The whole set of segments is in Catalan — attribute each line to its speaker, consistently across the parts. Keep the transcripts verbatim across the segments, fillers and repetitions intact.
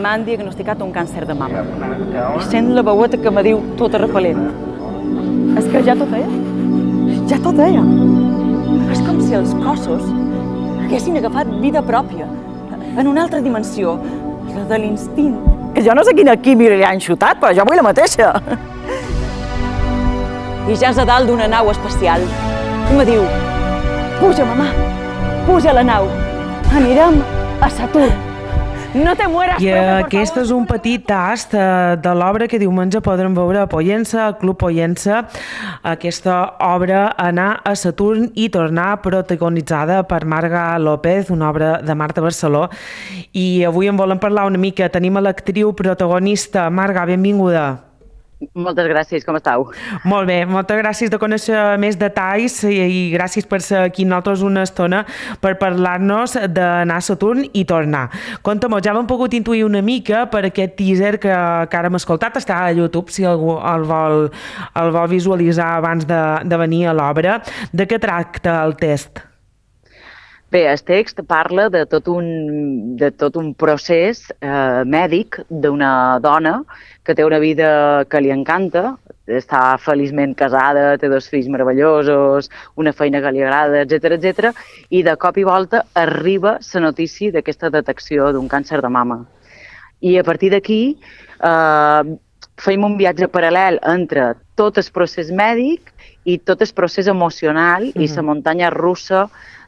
Speaker 1: m'han diagnosticat un càncer de mama. I sent la veueta que me diu tota repel·lent. És que ja tot deia. Ja tot deia. És com si els cossos haguessin agafat vida pròpia, en una altra dimensió, la de l'instint. Que jo no sé quina química li han xutat, però jo vull la mateixa. I ja és a dalt d'una nau espacial. I me diu, puja, mamà, puja a la nau. Anirem a Saturn. No te mueras,
Speaker 2: I
Speaker 1: profe,
Speaker 2: aquest és un petit tast de l'obra que diumenge podrem veure a Pollença, al Club Pollença. Aquesta obra, Anar a Saturn i tornar, protagonitzada per Marga López, una obra de Marta Barceló. I avui en volem parlar una mica. Tenim a l'actriu protagonista. Marga, benvinguda.
Speaker 3: Moltes gràcies, com esteu?
Speaker 2: Molt bé, moltes gràcies de conèixer més detalls i, i gràcies per ser aquí nosaltres una estona per parlar-nos d'anar a Saturn i tornar. Conta-m'ho, ja l'hem pogut intuir una mica per aquest teaser que, que ara hem escoltat, està a YouTube si algú el vol, el vol visualitzar abans de, de venir a l'obra. De què tracta el test?
Speaker 3: Bé, el text parla de tot un, de tot un procés eh, mèdic d'una dona que té una vida que li encanta, està feliçment casada, té dos fills meravellosos, una feina que li agrada, etcètera, etcètera, i de cop i volta arriba la notícia d'aquesta detecció d'un càncer de mama. I a partir d'aquí eh, fem un viatge paral·lel entre tot el procés mèdic i tot el procés emocional mm-hmm. i la muntanya russa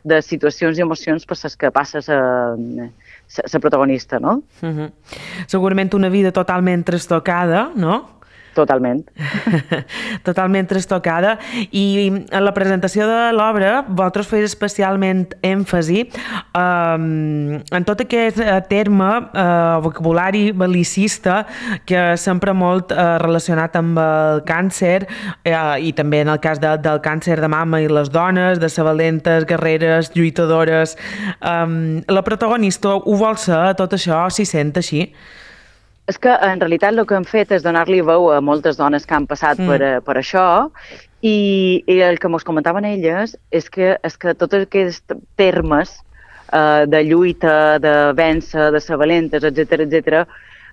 Speaker 3: de situacions i emocions per les que passa la protagonista, no?
Speaker 2: Uh-huh. Segurament una vida totalment trastocada, no?
Speaker 3: Totalment.
Speaker 2: Totalment trastocada. I en la presentació de l'obra vosaltres feu especialment èmfasi um, en tot aquest terme, uh, vocabulari bel·licista que sempre molt uh, relacionat amb el càncer uh, i també en el cas de, del càncer de mama i les dones, de ser valentes, guerreres, lluitadores. Um, la protagonista ho vol ser, tot això, s'hi sent així?
Speaker 3: És que, en realitat, el que hem fet és donar-li veu a moltes dones que han passat mm. per, per això i, i el que ens comentaven elles és que, és que tots aquests termes eh, de lluita, de vèncer, de ser valentes, etcètera, etcètera,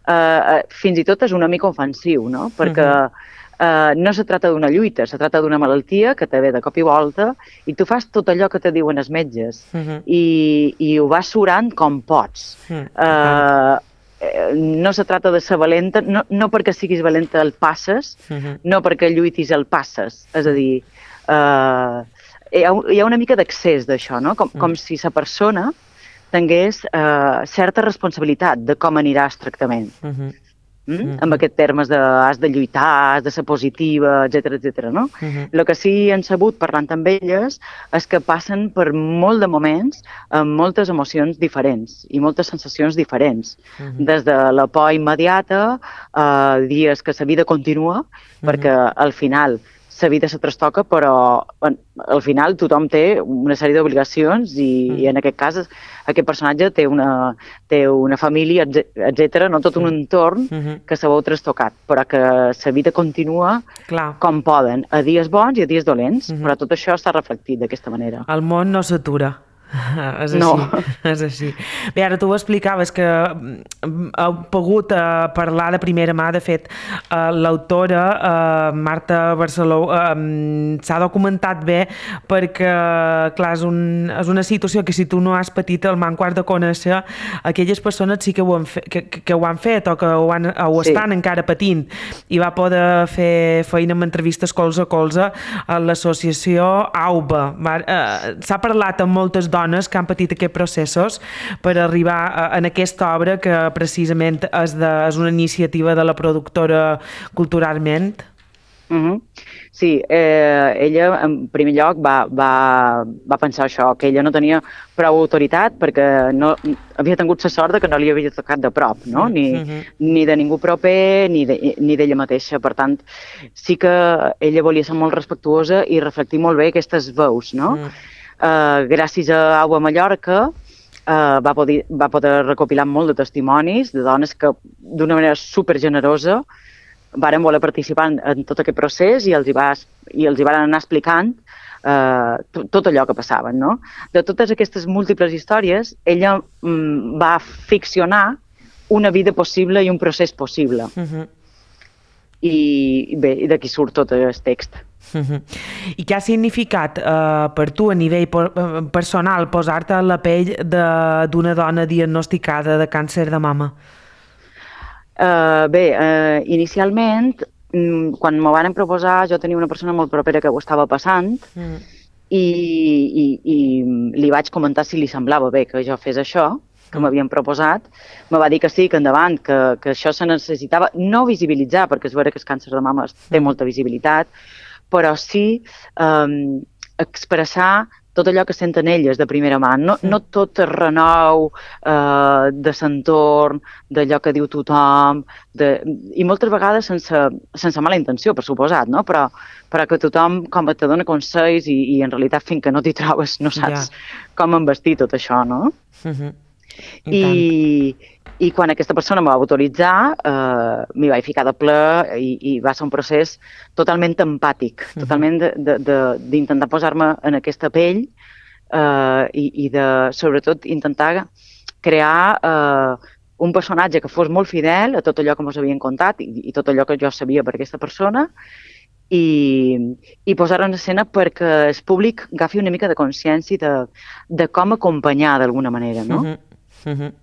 Speaker 3: eh, fins i tot és una mica ofensiu, no? Perquè mm-hmm. eh, no se tracta d'una lluita, se tracta d'una malaltia que te ve de cop i volta i tu fas tot allò que te diuen els metges mm-hmm. i, i ho vas surant com pots. Mm, eh, no se tracta de ser valenta, no, no perquè siguis valenta el passes, uh-huh. no perquè lluitis el passes. És a dir, uh, hi, ha, hi ha una mica d'accés d'això, no? Com, uh-huh. com si la persona tingués uh, certa responsabilitat de com anirà el tractament. Uh-huh. Mm? Uh-huh. Amb aquests termes de has de lluitar, has de ser positiva, etcètera, etcètera, no? Uh-huh. El que sí han sabut, parlant amb elles, és que passen per molt de moments amb moltes emocions diferents i moltes sensacions diferents. Uh-huh. Des de la por immediata a dies que la vida continua, uh-huh. perquè al final la vida se trastoca, però al final tothom té una sèrie d'obligacions i, mm. i en aquest cas aquest personatge té una, té una família, etcètera, no tot un entorn mm-hmm. que se veu trastocat, però que la vida continua Clar. Com poden, a dies bons i a dies dolents, mm-hmm. però tot això està reflectit d'aquesta manera.
Speaker 2: El món no s'atura. És així,
Speaker 3: no.
Speaker 2: és així. Bé, ara tu ho explicaves que heu pogut uh, parlar de primera mà, de fet, uh, l'autora uh, Marta Barceló uh, s'ha documentat bé perquè, clar, és, un, és una situació que si tu no has patit el manco has de conèixer, aquelles persones sí que ho han, fe, que, que ho han fet o que ho, han, ho sí. estan encara patint i va poder fer feina amb entrevistes colze a colze a l'associació A U B A. Uh, s'ha parlat amb moltes dones que han patit aquests processos per arribar a, en aquesta obra que precisament és, de, és una iniciativa de la productora Culturalment.
Speaker 3: Uh-huh. Sí, eh, ella en primer lloc va, va, va pensar això, que ella no tenia prou autoritat perquè no, havia tingut la sort de que no li havia tocat de prop, no? Ni, uh-huh. ni de ningú proper ni de, ni d'ella mateixa. Per tant, sí que ella volia ser molt respectuosa i reflectir molt bé aquestes veus, no? Uh-huh. Uh, gràcies a A U B A Mallorca uh, va, poder, va poder recopilar molt de testimonis de dones que d'una manera supergenerosa varen voler participar en, en tot aquest procés i els hi, va, i els hi van anar explicant uh, tot allò que passaven, no? De totes aquestes múltiples històries, ella mm, va ficcionar una vida possible i un procés possible.
Speaker 2: Uh -huh.
Speaker 3: I bé, i d'aquí surt tot el text.
Speaker 2: Uh -huh. I què ha significat uh, per tu a nivell personal posar-te a la pell d'una dona diagnosticada de càncer de mama?
Speaker 3: Uh, bé, uh, inicialment, quan m'ho van proposar, jo tenia una persona molt propera que ho estava passant mm. i, i, i li vaig comentar si li semblava bé que jo fes això, que m'havien proposat. Me va dir que sí, que endavant, que, que això se necessitava no visibilitzar, perquè és vera que el càncer de mama té molta visibilitat, però sí um, expressar tot allò que senten elles de primera mà, no, no tot el renou uh, de l'entorn, d'allò que diu tothom, de, i moltes vegades sense, sense mala intenció, per suposat, no? però, però que tothom com te dona consells i, i en realitat fins que no t'hi trobes no saps ja. com envestir tot això, no? Uh-huh. I, I, I quan aquesta persona m'ho va autoritzar, eh, m'hi vaig ficar de ple i, i va ser un procés totalment empàtic, uh-huh. totalment d'intentar posar-me en aquesta pell eh, i, i de, sobretot, intentar crear eh, un personatge que fos molt fidel a tot allò que ens havien contat i, i tot allò que jo sabia per aquesta persona i, i posar-ho en escena perquè el públic agafi una mica de consciència de, de com acompanyar d'alguna manera, no?
Speaker 2: Uh-huh. Uh-huh.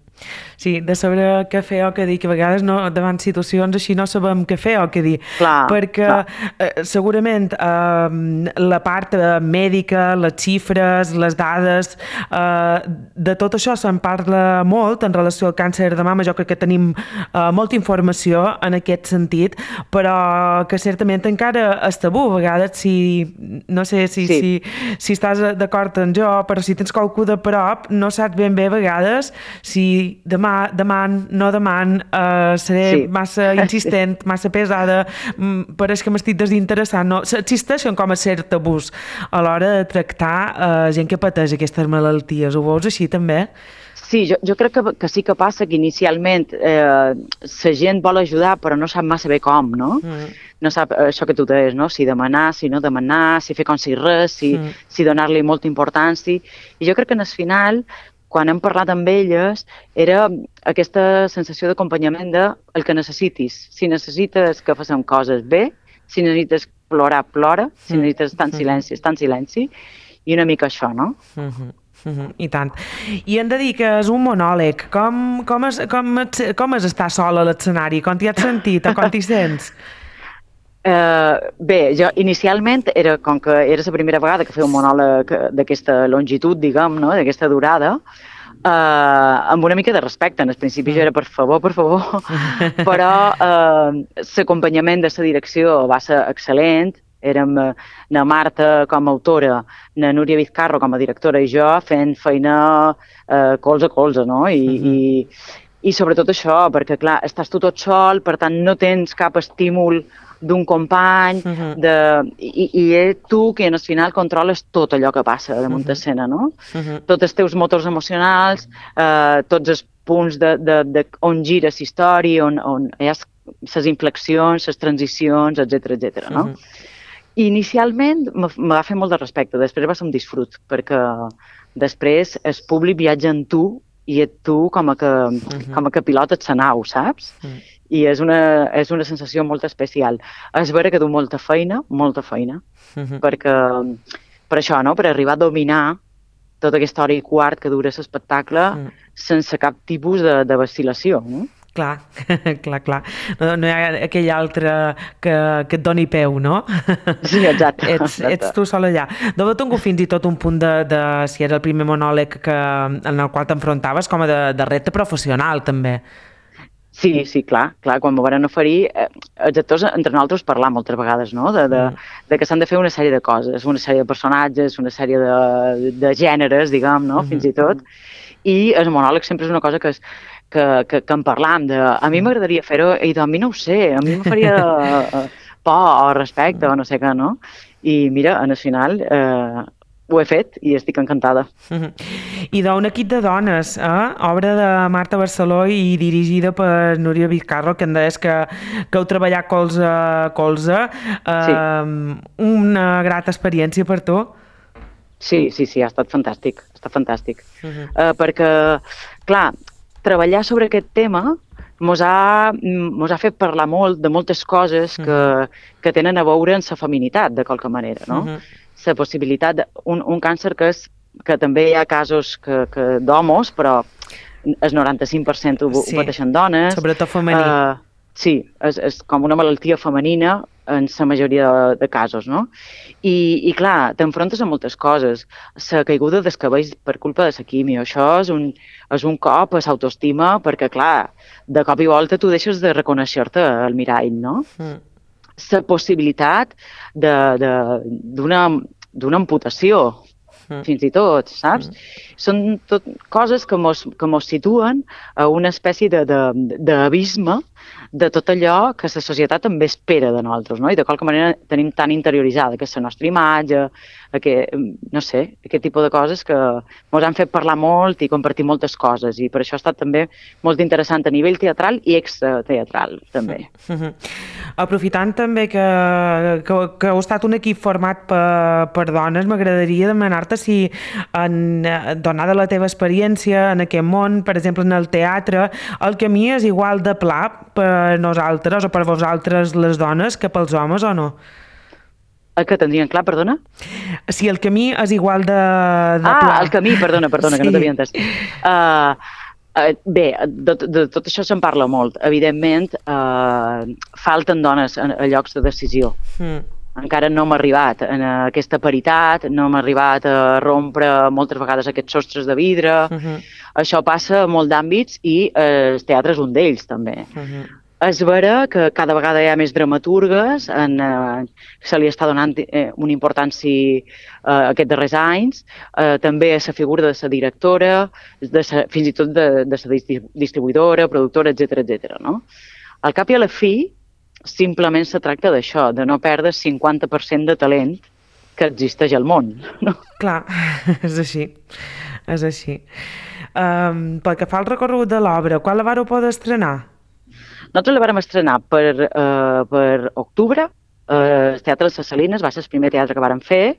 Speaker 2: Sí, de saber què fer o què dir, que a vegades no, davant situacions així no sabem què fer o què dir,
Speaker 3: clar,
Speaker 2: perquè
Speaker 3: clar.
Speaker 2: Eh, segurament eh, la part eh, mèdica, les xifres, les dades, eh, de tot això se'n parla molt en relació al càncer de mama. Jo crec que tenim eh, molta informació en aquest sentit, però que certament encara és tabú a vegades. Si, no sé si, sí. si, si estàs d'acord amb jo, però si tens qualcú de prop no saps ben bé a vegades si demà, demà, no demà, uh, seré sí. massa insistent, massa pesada, pareix que m'estic desinteressant. No, existeixen com a cert tabús a l'hora de tractar uh, gent que pateix aquestes malalties. Ho veus així també?
Speaker 3: Sí, jo, jo crec que, que sí que passa que inicialment eh, la gent vol ajudar però no sap massa bé com, no? Mm. No sap això que tu deies, no? Si demanar, si no demanar, si fer com si res, si, mm. si donar-li molta importància. I jo crec que en el final, quan hem parlat amb elles, era aquesta sensació d'acompanyament de el que necessitis. Si necessites que facem coses bé, si necessites plorar, plora, si necessites estar en silenci, estar en silenci, i una mica això, no?
Speaker 2: Uh-huh. Uh-huh. I tant. I hem de dir que és un monòleg. Com, com, és, com, és, com és estar sol a l'escenari? Com t'hi has sentit o com t'hi sents?
Speaker 3: Uh, bé, jo inicialment, era, com que era la primera vegada que feia un monòleg d'aquesta longitud, diguem, no? D'aquesta durada, uh, amb una mica de respecte. En el principi jo era per favor, per favor, però uh, l'acompanyament de la direcció va ser excel·lent. Érem na Marta com a autora, na Núria Vizcarro com a directora i jo fent feina uh, colze a colze, no? I, uh-huh. i, i sobretot això, perquè clar, estàs tu tot sol, per tant no tens cap estímul d'un company, uh-huh. de, i, i és tu que en el final controles tot allò que passa damunt uh-huh. escena, no? Uh-huh. Tots els teus motors emocionals, eh, tots els punts de, de, de on gira la història, on, on hi ha les inflexions, les transicions, etcètera, etcètera, no? Uh-huh. Inicialment me va fer molt de respecte, després va ser un disfrut, perquè després el públic viatja en tu i et tu com a que, uh-huh. com a que pilotes la nau, saps? Uh-huh. I és una, és una sensació molt especial. És vera que du molta feina, molta feina, uh-huh. perquè per això, no? Per arribar a dominar tota aquesta hora i quart que dura l'espectacle uh-huh. sense cap tipus de, de vacil·lació, no?
Speaker 2: Clar, clar, clar. No, no hi ha aquell altre que, que et doni peu, no?
Speaker 3: Sí, exacte.
Speaker 2: Ets, ets tu sol allà. Deu tingut fins i tot un punt de, de si era el primer monòleg que, en el qual t'enfrontaves com a de, de repte professional, també.
Speaker 3: Sí, sí, clar, clar, quan m'ho van oferir, eh, els actors entre nosaltres parlar moltes vegades, no?, de, de, de que s'han de fer una sèrie de coses, una sèrie de personatges, una sèrie de, de gèneres, diguem, no?, fins i tot, i el monòleg sempre és una cosa que és que, que, que en parlam, de, a mi m'agradaria fer-ho, i a mi no ho sé, a mi em faria por o respecte o no sé què, no? I mira, en el final eh, ho he fet i estic encantada.
Speaker 2: I d'un equip de dones, eh? Obra de Marta Barceló i dirigida per Núria Vizcarro, que em deies que, que heu treballat colze a colze. Eh,
Speaker 3: sí.
Speaker 2: Una grata experiència per tu?
Speaker 3: Sí, sí, sí, ha estat fantàstic, ha estat fantàstic. Uh-huh. uh, perquè, clar, treballar sobre aquest tema mos ha, mos ha fet parlar molt de moltes coses que, que tenen a veure amb la feminitat, de qualque manera, no?
Speaker 2: Uh-huh.
Speaker 3: La possibilitat, de, un, un càncer que, és, que també hi ha casos que, que d'homes, però el noranta-cinc per cent ho,
Speaker 2: Sí.
Speaker 3: ho pateixen dones.
Speaker 2: Sobretot femení.
Speaker 3: Uh, sí, és, és com una malaltia femenina en la majoria de, de casos, no? I, i clar, t'enfrontes a moltes coses. La caiguda dels cabells per culpa de la quimio, això és un, és un cop a l'autoestima, perquè clar, de cop i volta tu deixes de reconèixer-te al mirall, no?
Speaker 2: Mm.
Speaker 3: La possibilitat d'una d'una amputació,
Speaker 2: Mm.
Speaker 3: fins i tot, saps? Mm. Són tot coses que mos, que mos situen a una espècie de, de, d'abisme de tot allò que la societat també espera de nosaltres, no? I de qualque manera tenim tan interioritzada que és la nostra imatge, que, no sé, aquest tipus de coses que ens han fet parlar molt i compartir moltes coses, i per això ha estat també molt interessant a nivell teatral i extrateatral, també.
Speaker 2: Mm-hmm. Aprofitant també que, que, que heu estat un equip format per, per dones, m'agradaria demanar-te si, en, donada la teva experiència en aquest món, per exemple en el teatre, el camí és igual de pla per nosaltres o per vosaltres les dones que pels homes o no?
Speaker 3: El que tindrien clar, perdona?
Speaker 2: Si el camí és igual de, de
Speaker 3: ah,
Speaker 2: pla.
Speaker 3: el camí, perdona, perdona, sí. Que no t'havia entès. Uh, uh, bé, de, de tot això se'n parla molt. Evidentment, uh, falten dones a, a llocs de decisió. Mm. Encara no hem arribat a aquesta paritat, no hem arribat a rompre moltes vegades aquests sostres de vidre. Uh-huh. Això passa a molts d'àmbits i eh, el teatre és un d'ells, també. Uh-huh. És vera que cada vegada hi ha més dramaturgues, en, eh, se li està donant eh, una importància eh, aquests darrers anys, eh, també a la figura de la directora, de sa, fins i tot de, de la distribuïdora, productora, etcètera, etcètera, no? Al cap i a la fi, simplement se tracta d'això, de no perdre el cinquanta per cent de talent que existeix al món, no?
Speaker 2: Clar, és així, és així. Um, pel que fa al recorregut de l'obra, quan la vareu poder estrenar?
Speaker 3: Nosaltres la vàrem estrenar per, uh, per octubre, uh, el Teatre de les Salines va ser el primer teatre que vàrem fer.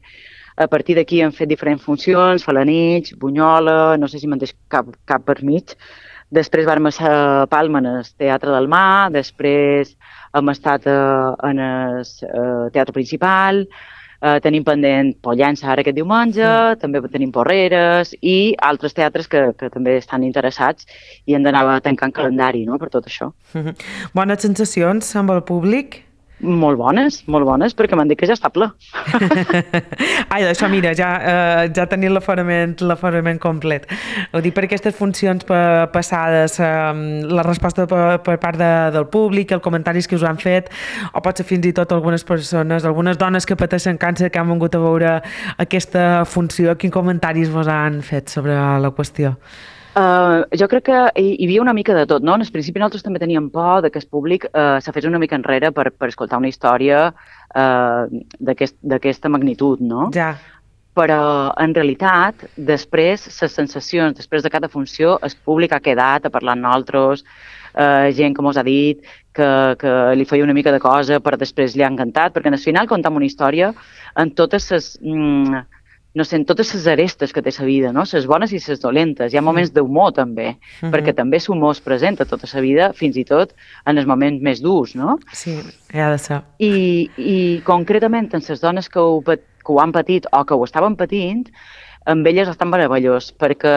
Speaker 3: A partir d'aquí hem fet diferents funcions, Falanich, Bunyola, no sé si me'n deixo cap, cap per mig. Després vàrem estar a Palma en el Teatre del Mar, després hem estat uh, en el uh, Teatre Principal, uh, tenim pendent Pollença ara aquest diumenge, mm. també tenim Porreres i altres teatres que, que també estan interessats i hem d'anar tancant calendari, no?, per tot això.
Speaker 2: Mm-hmm. Bones sensacions amb el públic?
Speaker 3: Molt bones, molt bones, perquè m'han dit que ja està ple.
Speaker 2: Ai, això, mira, ja, eh, ja tenim l'aforament, l'aforament complet. Ho dic per aquestes funcions passades, eh, la resposta per, per part de, del públic, els comentaris que us han fet, o potser fins i tot algunes persones, algunes dones que pateixen càncer que han vingut a veure aquesta funció, quins comentaris vos han fet sobre la qüestió?
Speaker 3: Uh, jo crec que hi, hi havia una mica de tot, no? En el principi nosaltres també teníem por de que el públic uh, se fes una mica enrere per, per escoltar una història uh, d'aquesta aquest, magnitud, no?
Speaker 2: Ja.
Speaker 3: Però, en realitat, després, les sensacions, després de cada funció, el públic ha quedat a parlar amb nosaltres, uh, gent que mos ha dit que, que li feia una mica de cosa, però després li ha encantat, perquè al final contam una història en totes les... Mm, no sé, en totes les arestes que té la vida, no? Les bones i les dolentes. Hi ha moments d'humor, també, uh-huh. perquè també l'humor es presenta tota la vida, fins i tot en els moments més durs, no?
Speaker 2: Sí, ha de ser.
Speaker 3: I, i concretament, en les dones que ho, que ho han patit o que ho estaven patint, amb elles estan meravellós, perquè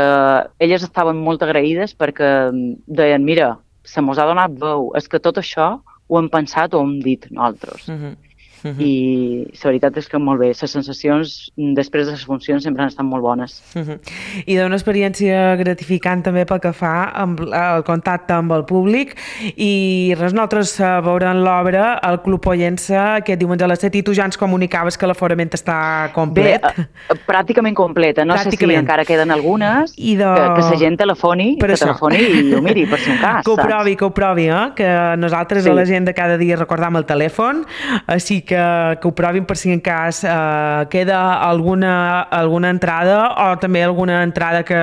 Speaker 3: elles estaven molt agraïdes perquè deien, mira, se mos ha donat veu, és que tot això ho hem pensat o ho hem dit nosaltres. Uh-huh. Uh-huh. I la veritat és que molt bé, les sensacions després de les funcions sempre han estat molt bones.
Speaker 2: Uh-huh. I d'una experiència gratificant també pel que fa amb el contacte amb el públic i res, nosaltres veurem l'obra al Club Pollença aquest diumenge a les set i tu ja ens comunicaves que l'aforament està complet.
Speaker 3: Bé, pràcticament completa, no pràcticament. Sé si encara queden algunes, de... que, que la gent telefoni, per que això. telefoni i ho miri per si un cas.
Speaker 2: Que ho provi, que ho provi, eh? Que nosaltres sí. a la gent de cada dia recordam el telèfon, així que que ho provin per si en cas eh, queda alguna, alguna entrada o també alguna entrada que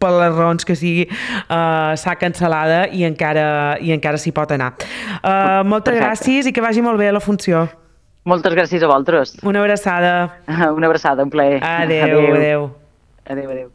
Speaker 2: per les raons que sigui eh, s'ha cancel·lada i encara, i encara s'hi pot anar. Eh, moltes Perfecte. gràcies i que vagi molt bé la funció.
Speaker 3: Moltes gràcies a vosaltres.
Speaker 2: Una abraçada.
Speaker 3: Una abraçada, un plaer.
Speaker 2: Adéu, adéu.
Speaker 3: Adéu, adéu.